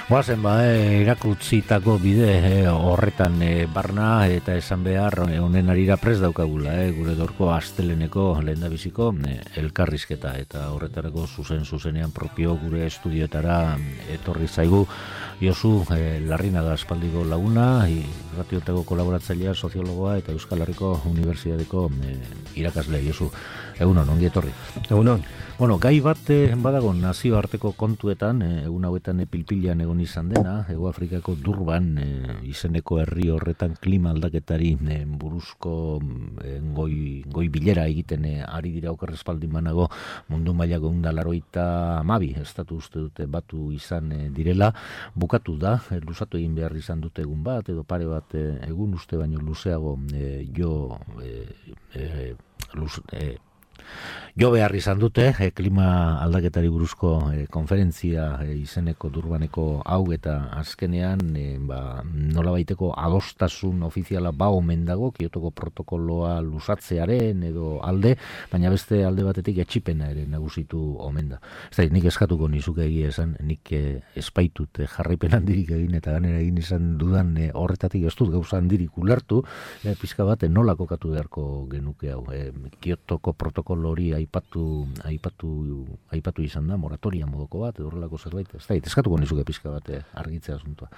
Goazen irakurtzitako bide horretan barna eta esan behar honen arira prest daukagula, gure gaurko asteleneko lehendabiziko elkarrizketa eta horretarako zuzenean propio gure estudioetara etorri zaigu Josu Larrinaga aspaldiko laguna, irratiotako kolaboratzailea, soziologoa eta Euskal Herriko Unibertsitateko irakasle. Josu, egunon, ongi etorri. Egunon. Bueno, gai bat badago nazioarteko kontuetan, egun hauetan pilpilean egon izan dena, Hego Afrikako Durban izeneko herri horretan klima aldaketari buruzko goi bilera egiten ari dira okerrespaldin banago mundu mailako 182 estatu uste dute batu izan direla, bukatu da, luzatu egin behar izan dute egun bat, edo pare bat egun uste baino luzeago jo behar izan dute klima aldaketari buruzko konferentzia izeneko Durbaneko hau eta azkenean nolabaiteko adostasun ofiziala omen dago Kiotoko protokoloa luzatzearen edo alde, baina beste alde batetik etxipena ere nagusitu omen da. Nik eskatuko nizuke egia esan, nik espaitut jarraipen handirik egin eta ganera egin izan dudan horretatik ez dut gauza handirik ulertu, pizka bat nola kokatu beharko genuke hau. Kiotoko protokolo hori aipatu izan da, moratoria modoko bat, edo horrelako zerbait, eskatuko nizuke pizka bat argitzea asuntua.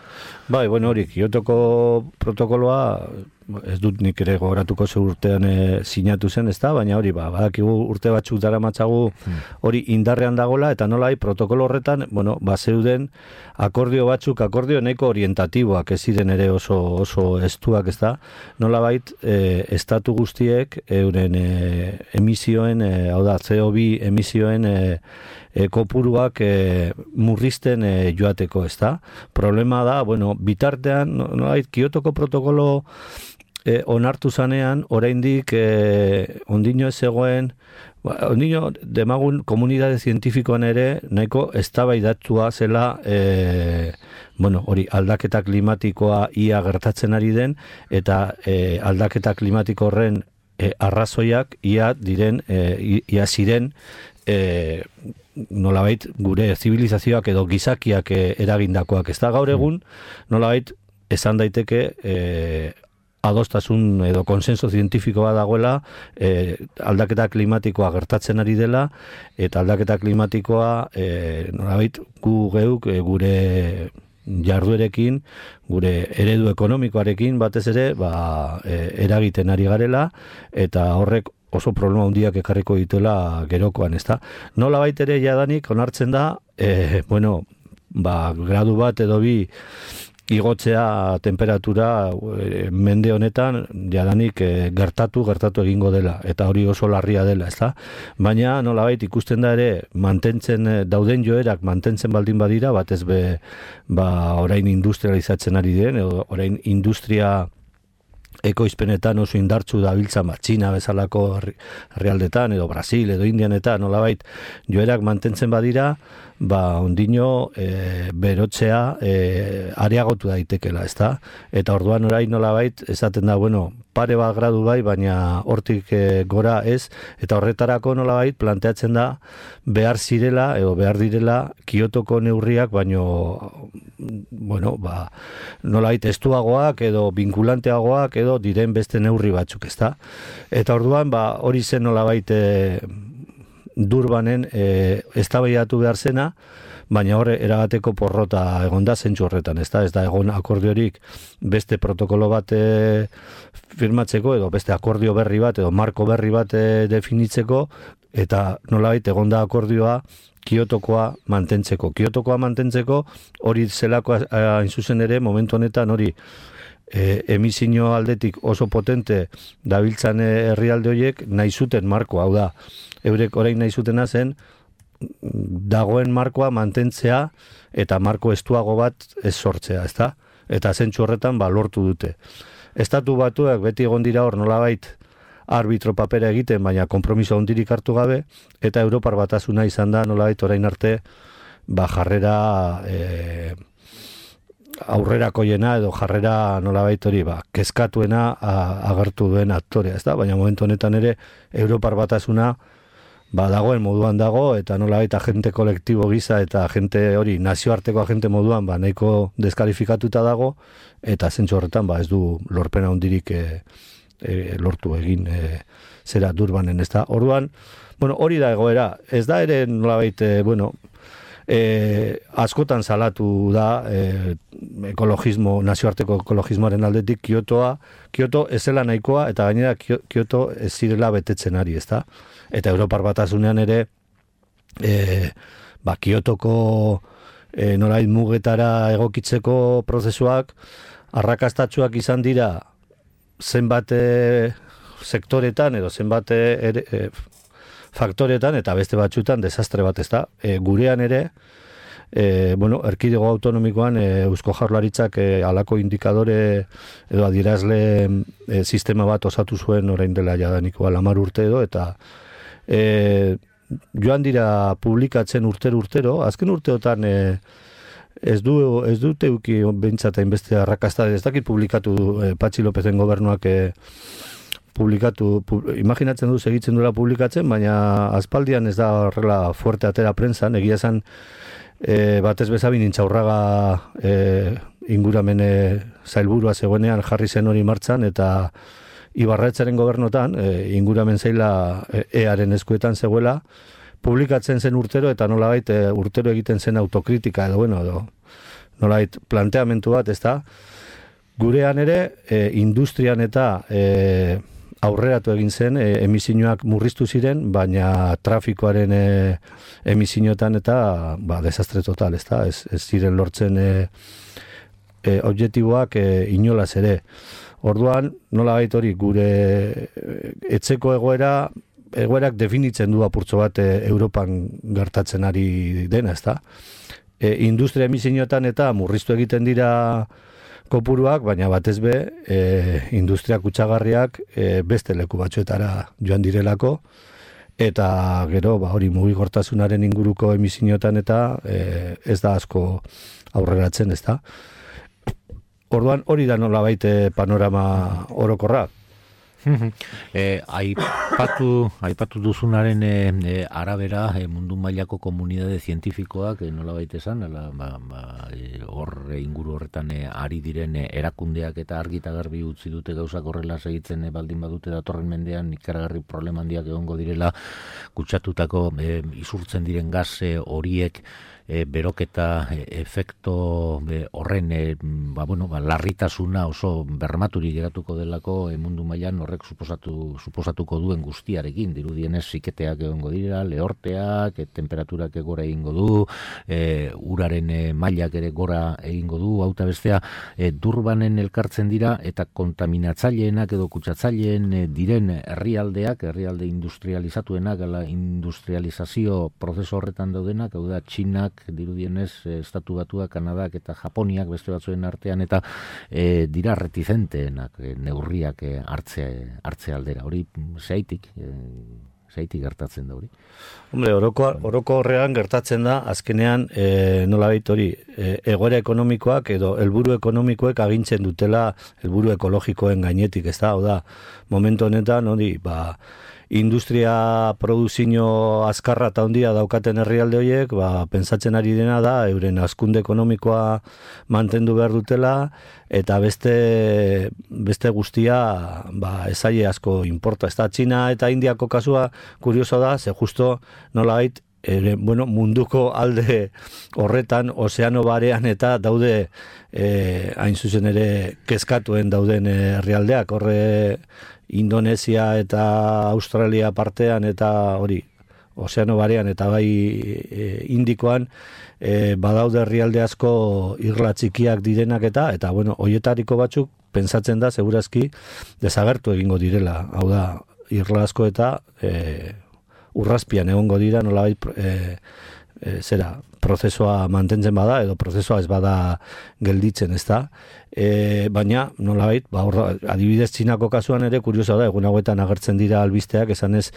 Bai, hori, Kiotoko protokoloa, ez dut nik ere gogoratuko ze urtean sinatu zen, ez da, baina hori, badakigu urte batzuk daramatzagu hori indarrean dagola, eta nolai protokolo horretan, zeuden akordio batzuk, akordio nahiko orientatiboak, ez ziren ere oso estuak, ez da, nolabait estatu guztiek euren emisioen, hau da, CO2 emisioen kopuruak murrizten joateko, ez da. Problema da, bitartean, nolabait, Kiotoko protokolo onartu zanean, oraindik ondino ez zegoen, ondino demagun komunitate zientifikoan ere nahiko eztabaidatua zela hori aldaketa klimatikoa ia gertatzen ari den eta aldaketa klimatiko horren arrazoiak ia ziren nolabait gure zibilizazioak edo gizakiak eragindakoak, ez da gaur egun nolabait esan daiteke adostasun edo konsenso zientifikoa dagoela aldaketa klimatikoa gertatzen ari dela eta aldaketa klimatikoa nolabait gu geuk gure jarduerekin, gure eredu ekonomikoarekin batez ere eragiten ari garela eta horrek oso problema handiak ekarriko dituela gerokoan, ezta. Nolabait ere jadanik onartzen da, gradu bat edo bi igotzea temperatura mende honetan jadanik gertatu egingo dela eta hori oso larria dela, ezta? Baina nolabait ikusten da ere mantentzen dauden joerak mantentzen baldin badira, batez orain industrializatzen ari den edo orain industria ekoizpenetan oso indartsu dabiltza Txina bezalako herrialdetan edo Brasil edo Indianetan nolabait joerak mantentzen badira, ondino berotzea areagotu daitekela, ezta? Eta orduan orain nolabait esaten da, pare bat gradu bai, baina hortik gora ez, eta horretarako nolabait planteatzen da behar zirela edo behar direla Kiotoko neurriak, baino nolabait estuagoak edo vinkulanteagoak edo diren beste neurri batzuk, ezta? Eta orduan hori zen nolabait Durbanen eztabaidatu behar zena, baina horre erabateko porrota egon da zentzu horretan, ez da egon akordiorik beste protokolo bat firmatzeko edo beste akordio berri bat edo marko berri bat definitzeko eta nolabait egon da akordioa Kiotokoa mantentzeko. Kiotokoa mantentzeko hori zelako hain zuzen ere momentu honetan hori emisio aldetik oso potente dabiltzan herrialde horiek nahi zuten markoa, hau da, eurek orain nahi zutena zen dagoen markoa mantentzea eta marko estuago bat ez sortzea, ezta? Eta zentzu horretan lortu dute. Estatu batuak beti egon dira hor nolabait arbitro papera egiten, baina konpromiso handirik hartu gabe, eta Europar Batasuna izan da nolabait orain arte jarrera aurrerakoiena edo jarrera nolabait hori kezkatuena agertu duen aktorea, ezta? Baina momentu honetan ere Europar Batasuna dagoen moduan dago, eta nolabait agente kolektibo gisa eta agente hori nazioarteko agente moduan nahiko deskalifikatuta dago, eta zentzu horretan ez du lorpena hundirik lortu egin zera Durbanen, ez da. Orduan, hori da egoera, ez da ere nolabait, askotan salatu da ekologismo, nazioarteko ekologismoaren aldetik Kyoto ez zela nahikoa, eta gainera Kyoto ez zirela betetzen ari, ez da. Eta Europar Batasunean ere Kyotoko nolait mugetara egokitzeko prozesuak arrakastatsuak izan dira zenbat sektoretan edo zenbat faktoretan, eta beste batzutan desastre bat, ez da. Gurean ere, erkidego autonomikoan Eusko Jaurlaritzak halako indikadore edo adierazle sistema bat osatu zuen orain dela jadaniko 10 urte edo, eta joan dira publikatzen urtero, azken urteotan ez dute euki bentsata inbeste arrakasta, ez dakit publikatu Patxi Lopezen gobernuak imaginatzen du segitzen duela publikatzen, baina aspaldian ez da horrela fuerte atera prentsan, egia esan batez bezabin Intxaurraga inguramen zailburua zegoenean jarri zen hori martxan, eta Ibarretxaren gobernotan, inguramen zaila EAren eskuetan zegoela, publikatzen zen urtero, eta nolabait urtero egiten zen autokritika, edo nolabait planteamentu bat, ez da. Gurean ere, industrian eta aurreratu egin zen, emisioak murriztu ziren, baina trafikoaren emisioetan eta desastre total, ez da, ez ziren lortzen objektiboak inolaz ere. Orduan, nolabait hori, gure etzeko egoerak definitzen du apurtxo bat Europan gertatzen ari dena, ez da. Industria emisioetan eta murriztu egiten dira kopuruak, baina batez be, industria kutsagarriak beste leku batzuetara joan direlako, eta gero, hori mugikortasunaren inguruko emisioetan eta ez da asko aurreratzen, ez da. Orduan, hori da nolabait panorama orokorra. Aipatu duzunaren arabera mundu mailako komunidade zientifikoak nolabait esan, hor inguru horretan ari diren erakundeak eta argi eta garbi utzi dute gauzak horrela segitzen baldin badute datorren mendean ikaragarri problema handiak egongo direla, kutsatutako isurtzen diren gas horiek beroketa efekto horren larritasuna oso bermaturik geratuko delako mundu mailan, horrek suposatuko duen guztiarekin, dirudienez siketeak egongo dira, lehorteak, temperaturak gora egingo du, uraren mailak ere gora egingo du, hauta bestea, Durbanen elkartzen dira, eta kontaminatzaileenak edo kutsatzaileen diren herrialde industrializatuenak, industrializazio prozeso horretan daudenak, hau da, Txinak, dirudienez, Estatu Batuak, Kanadak eta Japoniak beste batzuen artean, eta dira reticenteenak neurriak hartze aldera. Hori zeitik gertatzen da hori? Hombre, oroko horrean gertatzen da, azkenean nolabait hori, egoera ekonomikoak edo helburu ekonomikoek agintzen dutela helburu ekologikoen gainetik, ez da, hau da, momentu honetan, hori, industria produzio azkarra eta handia daukaten herrialde horiek, pentsatzen ari dena da, euren hazkunde ekonomikoa mantendu behar dutela, eta beste guztia ezaile asko importa. Ez da, Txina eta Indiako kasua kurioso da, ze justo nolabait, munduko alde horretan, ozeano barean eta daude hain zuzen ere kezkatuen dauden herrialdeak, horre Indonesia eta Australia partean eta hori ozeano barean eta bai Indikoan badaude herrialde asko irla txikiak direnak eta hoietariko batzuk pentsatzen da segurazki desagertu egingo direla, hau da irla asko eta urrazpian egongo dira nolabait prozesua mantentzen bada edo prozesua ez bada gelditzen, ez da. baina nolabait, adibidez Txinako kasuan ere kurioso da, egun hauetan agertzen dira albisteak esanez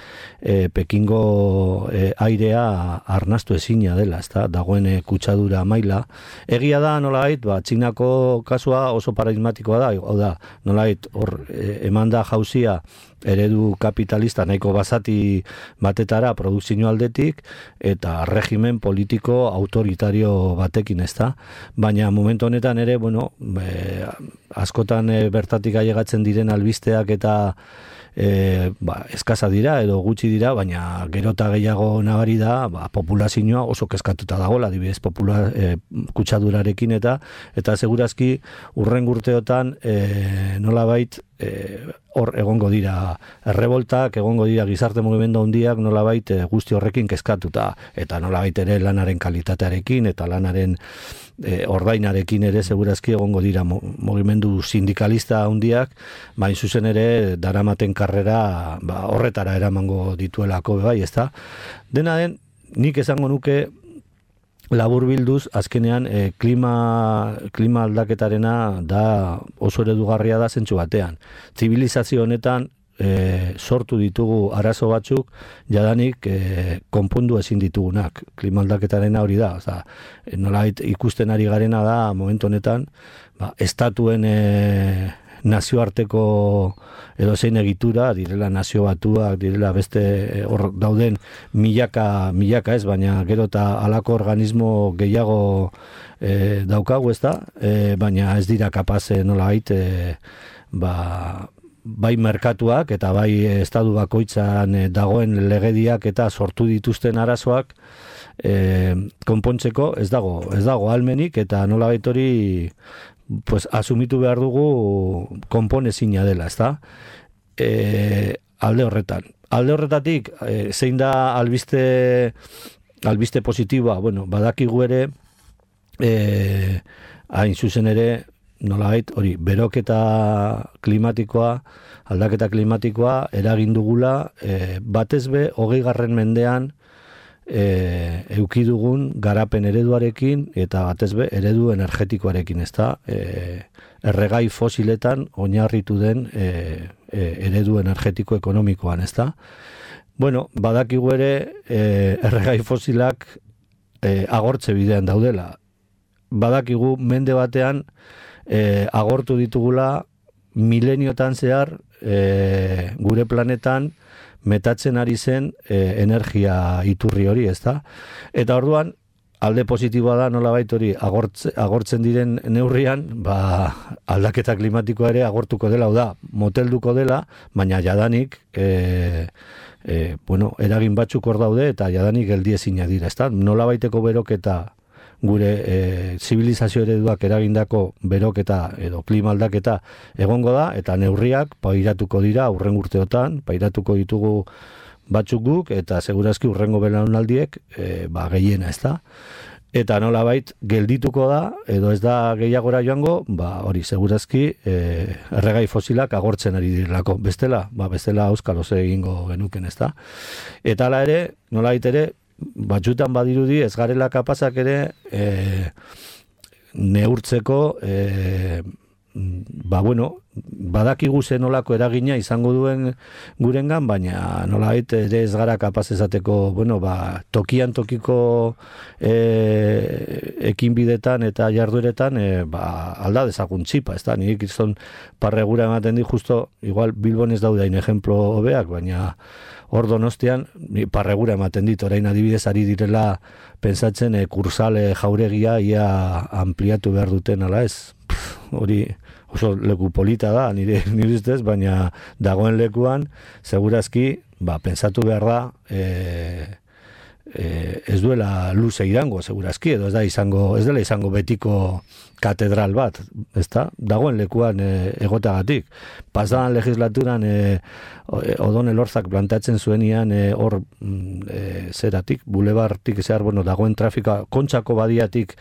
Pekingo airea arnastu ezina dela, ezta? Dagoen kutsadura maila. Egia da nolabait, Txinako kasua oso paradigmatikoa da, hau da, nolabait hor emanda jauzia eredu kapitalista nahiko basati batetara produkzio aldetik eta regimen politiko autoritario batekin, ezta? Baina momentu honetan ere, askotan bertatik ailegatzen diren albisteak eta eskasa dira edo gutxi dira, baina gerota gehiago nabari da, populazioa oso kezkatuta dagoela, adibidez kutsadurarekin eta segurazki urren urteotan nolabait hor egongo dira erreboltak, egongo dira gizarte mugimendu handiak nolabait guzti horrekin kezkatuta, eta nolabait ere lanaren kalitatearekin eta lanaren ordainarekin ere segurazki egongo dira mugimendu sindikalista handiak, bain zuzen ere daramaten karrera horretara eramango dituelako bai, ezta? Dena den, nik esango nuke laburbilduz, azkenean klima aldaketarena da oso eredugarria da zentsu batean. Zibilizazio honetan sortu ditugu arazo batzuk, jadanik konpondu ezin ditugunak. Klima aldaketarena hori da. Nolabait ikusten ari garena da momentu honetan, estatuen nazioarteko edo zein egitura, direla nazio batuak, direla beste hor dauden milaka ez, baina gero eta halako organismo gehiago daukagu, ez da, baina ez dira kapaz nolabait bai merkatuak eta bai estatu bakoitzan dagoen legediak eta sortu dituzten arazoak konpontzeko ez dago almenik, eta nolabait hori asumitu behar dugu konponezina dela, ezta? Alde horretan. Alde horretatik, zein da albiste positiboa, badakigu ere, hain zuzen ere, nolabait, hori, beroketa klimatikoa, aldaketa klimatikoa, eragin dugula, batez be, 20. mendean, euki dugun garapen ereduarekin eta batez be eredu energetikoarekin, ezta? Erregai fosiletan oinarritu den eredu energetiko ekonomikoan, ezta? Badakigu ere erregai fosilak agortze bidean daudela. Badakigu mende batean agortu ditugula mileniotan zehar gure planetan metatzen ari zen energia iturri hori, ezta? Eta orduan, alde positiboa da nolabait hori agortzen diren neurrian, aldaketa klimatikoa ere agortuko dela, da, motelduko dela, baina jadanik eragin batzuk hor daude eta jadanik geldiezina dira, ezta? Nolabaiteko beroketa gure zibilizazio ereduak eragindako beroketa edo klima aldaketa egongo da, eta neurriak pairatuko dira urren urteotan, pairatuko ditugu batzuk guk, eta segurazki urrengo belaunaldiek gehiena, ez da? Eta nolabait geldituko da, edo ez da gehiagora joango, hori segurazki erregai fosilak agortzen ari direlako. Bestela auskalo ze egingo genuken, ez da? Eta hala ere, nolabait ere, batzutan badirudi ez garela kapazak ere neurtzeko badakigu zenolako eragina izango duen gurengan, baina nolabait ere ez gara kapaz esateko tokian tokiko ekinbidetan eta jardueretan alda dezagun txipa, ez da? Nik izan parregura ematen di, justo igual Bilbon ez daudain ejemplo hobeak, baina hor Donostian parregura ematen dit, orain adibidez ari direla pentsatzen kursale jauregia ia ampliatu behar duten, ala ez? Hori oso leku polita da, nire ustez, baina dagoen lekuan, segurazki, pentsatu behar da, ez duela luze irango, segurazki, edo ez dela izango betiko katedral bat, ezta? Dagoen lekuan egotagatik. Pasadan legislaturan Odon Elorzak plantatzen zuenian hor zeratik, bulebartik zehar, dagoen trafikoa, Kontxako badiatik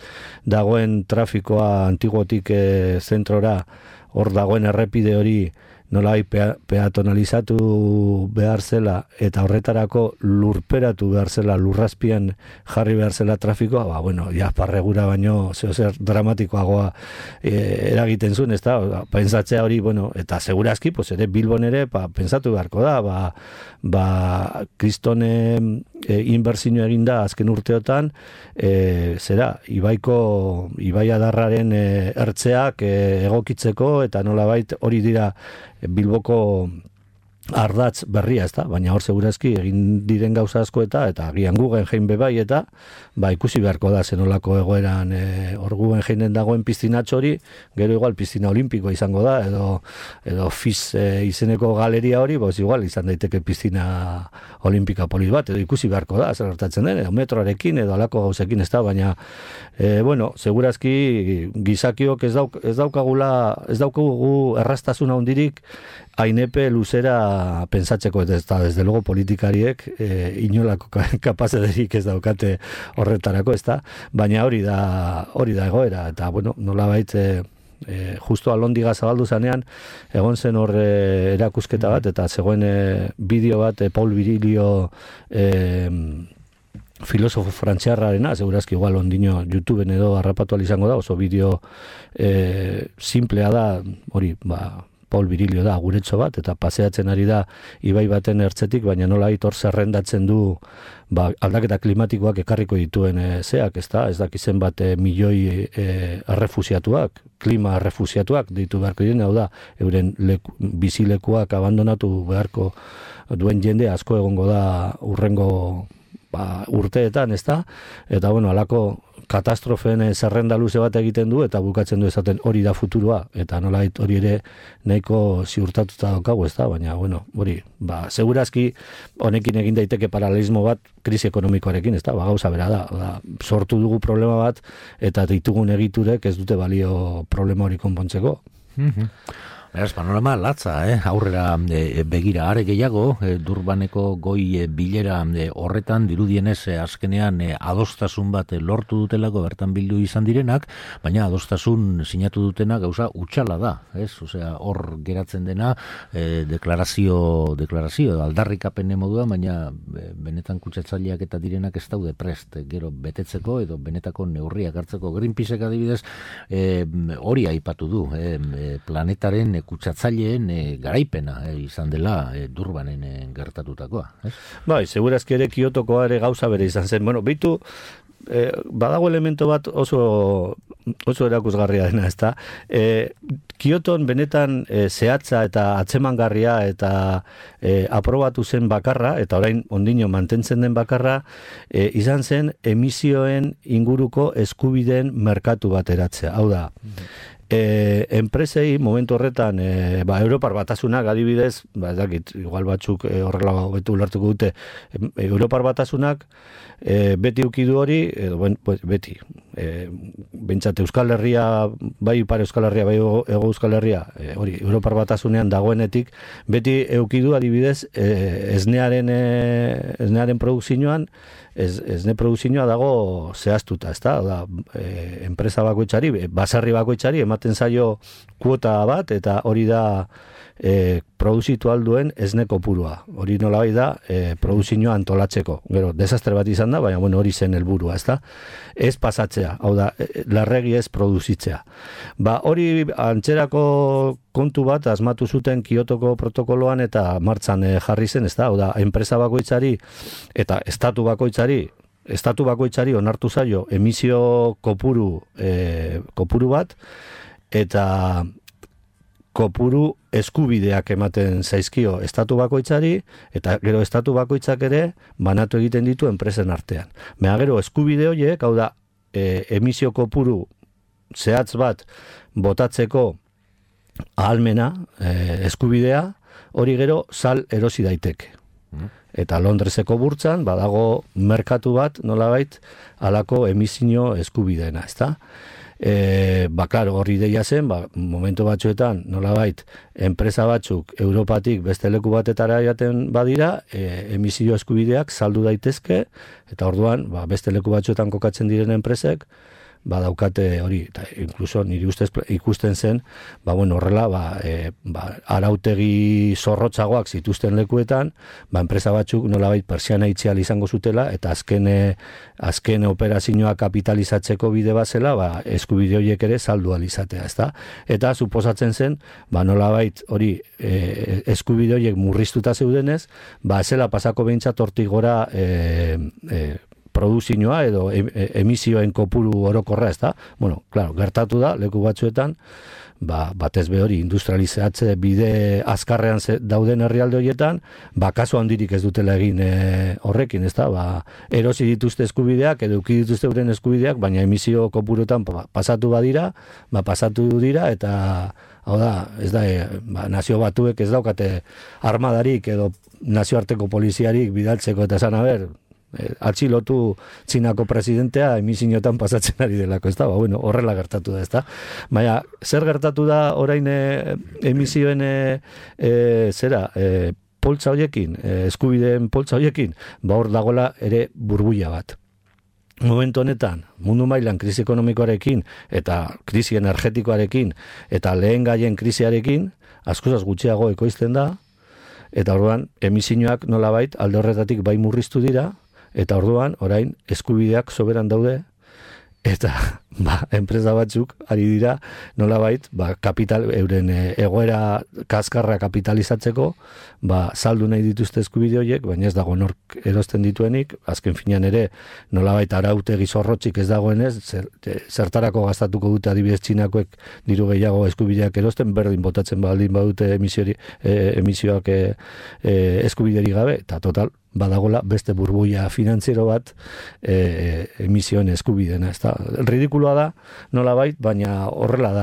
dagoen trafikoa antiguotik zentrora, hor dagoen errepide hori nolai peatonalizatu behar zela eta horretarako lurperatu behar zela, lurrazpian jarri behar zela trafikoa, ba, bueno, parregura baino zer dramatikoagoa eragiten zuen, ez da, pentsatzea hori, bueno, eta segurazki, pues ere Bilbon ere, pentsatu beharko da, kriston inbertsio eginda azken urteotan, zera, ibai adarraren ertzeak egokitzeko, eta nolabait hori dira Bilboko ardatz berria, ez da, baina hor segurazki egin diren gauza asko eta agian Guggenheim bebai eta ikusi beharko da zenolako egoeran hor Guggenheimen dagoen piztinatxo hori, gero igual piztina olimpikoa izango da, edo FIS izeneko galeria hori, igual izan daiteke piztina olimpika polit bat, edo ikusi beharko da, zer hartatzen den, edo metroarekin, edo alako gauzekin, ez da, baina, bueno, segurazki gizakiok ez daukagu erraztasuna hundirik ainepe luzera pensatzeko, eta desde luego politikariek inolako kapazederik ez daukate horretarako, ez da, baina hori da egoera, eta bueno, nolabait justo alondiga zabaldu zanean, egon zen hor erakusketa bat, eta zegoen bideo bat, Paul Virilio filosofo frantziarrarena, segurazki igual ondino YouTubeen edo harrapatu izango da, oso bideo simplea da, hori, Paul Virilio da, guretxo bat, eta paseatzen ari da ibai baten ertzetik, baina nola hor zerrendatzen du aldaketa klimatikoak ekarriko dituen zeak, ez dakizen bat milioi errefusiatuak, klima errefusiatuak ditu beharko diren, hau da, euren bizilekuak abandonatu beharko duen jende asko egongo da urrengo urteetan, ez da? Eta, bueno, alako katastrofen zerrenda luze bat egiten du, eta bukatzen du esaten hori da futurua, eta nolait hori ere nahiko ziurtatuta daukagu, ez da? Baina, bueno, hori, segurazki honekin egin daiteke paralelismo bat krisi ekonomikoarekin, ez da? Gauza bera da, sortu dugu problema bat, eta ditugun egiturek ez dute balio problema hori konpontzeko. Beraz, panorama latza, aurrera begira are gehiago, Durbaneko goi bilera horretan dirudienez azkenean adostasun bat lortu dutelako bertan bildu izan direnak, baina adostasun sinatu dutena gauza utxala da, ez? Osea, hor geratzen dena deklarazio aldarrikapen moduan, baina benetan kutsatzaileak eta direnak ez daude prest gero betetzeko edo benetako neurriak hartzeko. Greenpeaceek adibidez hori aipatu du, planetaren kutsatzaileen garaipena izan dela Durbanen gertatutakoa. Bai, segurazki ere Kiotokoa ere gauza bere izan zen. Bueno, beitu, badago elemento bat oso erakusgarria dena, ez da? Kioton benetan zehatza eta atzemangarria eta aprobatu zen bakarra, eta orain ondino mantentzen den bakarra, izan zen emisioen inguruko eskubideen merkatu bat eratzea. Hau da, enpresei momentu horretan Europar Batasunak adibidez, ez dakit, igual batzuk horrela betu ulertuko dute, Europar Batasunak beti ukidu hori, beti, bentsat Euskal Herria, bai Ipar Euskal Herria, bai Ego Euskal Herria, hori, Europar Batasunean dagoenetik, beti eukidu adibidez, esnearen produkzioan, esne produkzioa dago zehaztuta, ez da, enpresa bakoitzari, basarri bakoitzari, ematen zaio kuota bat, eta hori da produzitu alduen esne kopurua. Hori nolabait da produzioa antolatzeko. Gero, desastre bat izan da, baina bueno, hori zen helburua, ez da? Ez pasatzea, hau da, larregi ez produzitzea. Hori antzerako kontu bat asmatu zuten Kiotoko protokoloan eta martxan jarri zen, ez da? Hau da, enpresa bakoitzari eta estatu bakoitzari onartu zaio emisio kopuru bat, eta kopuru eskubideak ematen zaizkio estatu bakoitzari, eta gero estatu bakoitzak ere banatu egiten ditu enpresen artean. Gero eskubide horiek, hau da, emisio kopuru zehatz bat botatzeko ahalmena, eskubidea, hori gero sal erosi daiteke. Eta Londreseko burtsan badago merkatu bat, nolabait, halako emisio eskubideena, ezta? Claro, hori ideia zen, momentu batzuetan, nolabait, enpresa batzuk Europatik beste leku batetara jaten badira, emisio eskubideak saldu daitezke, eta orduan, beste leku batzuetan kokatzen diren enpresek, daukate hori, eta inkluso niri ustez ikusten zen, horrela, arautegi zorrotzagoak zituzten lekuetan, enpresa batzuk nolabait pertsiana itxial izango zutela, eta azken operazioa kapitalizatzeko bide bazela, eskubide horiek ere saldu alizatea, ezta? Eta suposatzen zen, nolabait hori eskubide horiek murriztuta zeudenez, zela pasako behintzat hortik gora produzioa edo emisioen kopuru orokorra, ezta? Claro, gertatu da, leku batzuetan, batez be hori industrializatze bide azkarrean dauden herrialde horietan, kasu handirik ez dutela egin horrekin, ezta? Erosi dituzte eskubideak, edo eduki dituzte euren eskubideak, baina emisio kopurutan pasatu dira, eta hau da, ez da, nazio batuek ez daukate armadarik edo nazioarteko poliziarik bidaltzeko eta esan, atxilotu Txinako presidentea emisioetan pasatzen ari delako, ez da? Horrela gertatu da, ez da? Baina, zer gertatu da orain emisioen poltsa horiekin, eskubideen poltsa horiekin, hor dagoela ere burbuila bat. Momentu honetan, mundu mailan krisi ekonomikoarekin eta krisi energetikoarekin eta lehen gaien krisiarekin, askoz gutxiago ekoizten da, eta orduan emisioak nolabait alde horretatik bai murriztu dira, eta orduan orain eskubideak soberan daude, eta enpresa batzuk ari dira nolabait kapital euren egoera kaskarra kapitalizatzeko saldu nahi dituzte eskubide horiek, baina ez dago nork erosten dituenik, azken finean ere nolabait arautegi zorrotzik ez dagoenez, zertarako gastatuko dute adibidez Txinakoek diru gehiago eskubideak erosten, berdin botatzen baldin badute emisioak eskubideri gabe, eta total badagola beste burbuia finantziero bat emisioen eskubidena, ez da, ridikuloa da, nolabait, baina horrela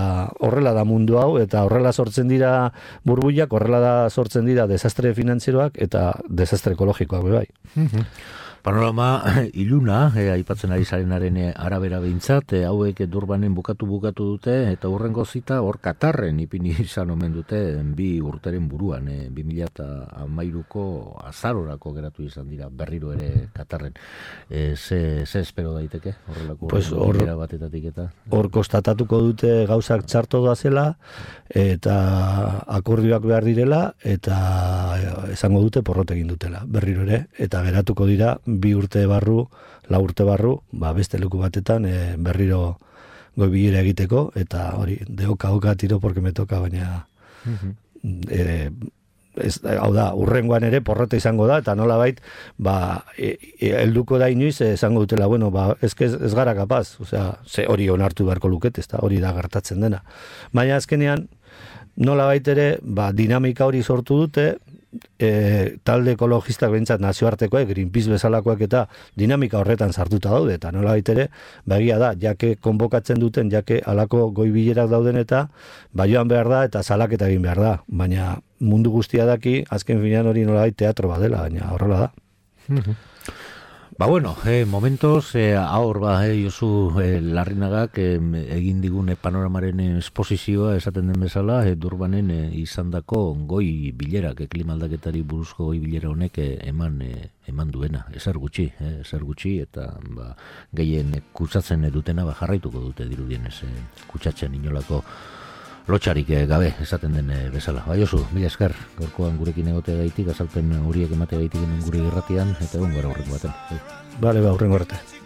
da mundu hau, eta horrela sortzen dira burbuiak, horrela da sortzen dira desastre finantzieroak eta desastre ekologikoak bai. Panorama iluna, aipatzen ari zarenaren arabera behintzat, hauek Durbanen bukatu dute, eta hurrengo zita hor Katarren ipini izan omen dute 2 urteren buruan, 2013ko azarorako geratu izan dira berriro ere Katarren. Ze espero daiteke horrelako bilera batetatik eta? Hor konstatatuko dute gauzak txarto doazela, eta akordioak behar direla, eta esango dute porrot egin dutela, berriro ere, eta geratuko dira 2 urte barru, 4 urte barru, beste leku batetan berriro goi bilera egiteko, eta hori, deoka tiro porque me toka, baina hau da, urrengoan ere porrota izango da, eta nolabait, helduko da inoiz, esango dutela, ez gara kapaz, hori onartu beharko luket, hori da gertatzen dena. Baina azkenean, nolabait ere, dinamika hori sortu dute, talde ekologistak behintzat nazioartekoek, Greenpeace bezalakoak eta dinamika horretan sartuta daude, eta nolabait ere, egia da, jake konbokatzen duten, jake alako goi bilerak dauden eta joan behar da eta salaketa egin behar da, baina mundu guztia daki, azken finean hori nolabait teatro badela, baina horrela da. Momentos, ahor Josu Larrinagak egin digun panoramaren esposizioa esaten den bezala, Durbanen izandako goi bilerak, klima aldaketari buruzko goi bilera honek eman duena, ezer gutxi, eta gehien kutsatzen dutena jarraituko dute dirudienez, kutsatzen inolako lotxarik gabe esaten den bezala. Josu, mila esker, gaurkoan gurekin egotea gaitik, azalpen horiek emate gaitik gure irratian, eta egon gara horrengo baten. Bale, horrengo arte.